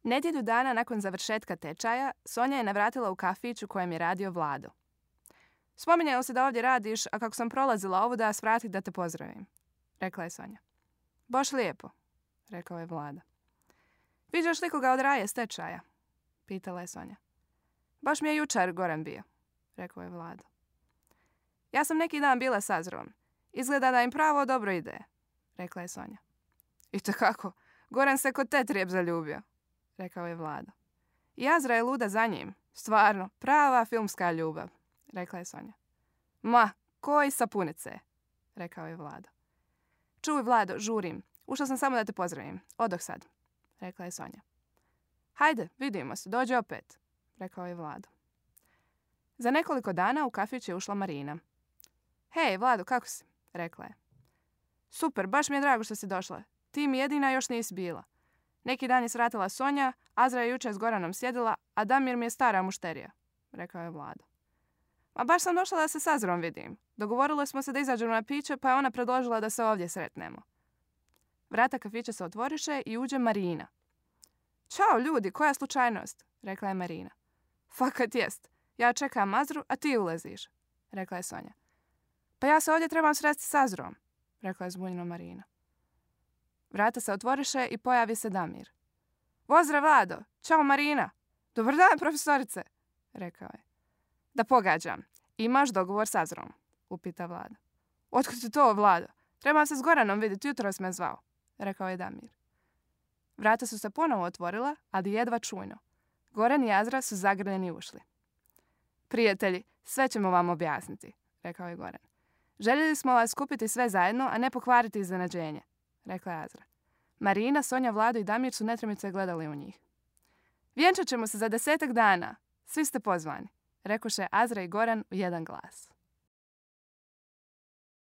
Nedjelju dana nakon završetka tečaja, Sonja je navratila u kafić u kojem je radio Vlado. Spominjalo se da ovdje radiš, a kako sam prolazila ovu da svratih da te pozdravim, rekla je Sonja. Baš lijepo, rekao je Vlado. Viđaš li koga od Raje s tečaja? Pitala je Sonja. Baš mi je jučer Goran bio, rekao je Vlado. Ja sam neki dan bila s Azrom. Izgleda da im pravo dobro ide, rekla je Sonja. Itekako, Goran se kod Tetrijeb zaljubio, rekao je Vlado. I Azra je luda za njim. Stvarno, prava filmska ljubav, rekla je Sonja. Ma, koji sapunice, rekao je Vlado. Čuj, Vlado, žurim. Ušla sam samo da te pozdravim. Odoh sad, rekla je Sonja. Hajde, vidimo se, dođi opet, rekao je Vlado. Za nekoliko dana u kafić je ušla Marina. Hej, Vlado, kako si? Rekla je. Super, baš mi je drago što si došla. Ti mi jedina još nisi bila. Neki dan je svratila Sonja, Azra je jučer s Goranom sjedila, a Damir mi je stara mušterija, rekao je Vlado. Ma baš sam došla da se s Azrom vidim. Dogovorili smo se da izađemo na piće, pa je ona predložila da se ovdje sretnemo. Vrata kafića se otvoriše i uđe Marina. Ćao ljudi, koja slučajnost, rekla je Marina. Fakat jest, ja čekam Azru, a ti uleziš, rekla je Sonja. Pa ja se ovdje trebam sresti s Azrom, rekla je zbunjeno Marina. Vrata se otvoriše i pojavi se Damir. Pozdrav, Vlado, ćao Marina. Dobar dan, profesorice, rekao je. Da pogađam, imaš dogovor s Azrom, upita Vlado. Otkud ti to, Vlado? Trebam se s Goranom vidjeti, jutros me zvao, rekao je Damir. Vrata su se ponovo otvorila, ali jedva čujno. Goran i Azra su zagrljeni ušli. Prijatelji, sve ćemo vam objasniti, rekao je Goran. Željeli smo vas skupiti sve zajedno, a ne pokvariti iznenađenje, rekla je Azra. Marina, Sonja, Vlado i Damir su netremice gledali u njih. Vjenčat ćemo se za 10 dana. Svi ste pozvani, rekoše Azra i Goran u jedan glas.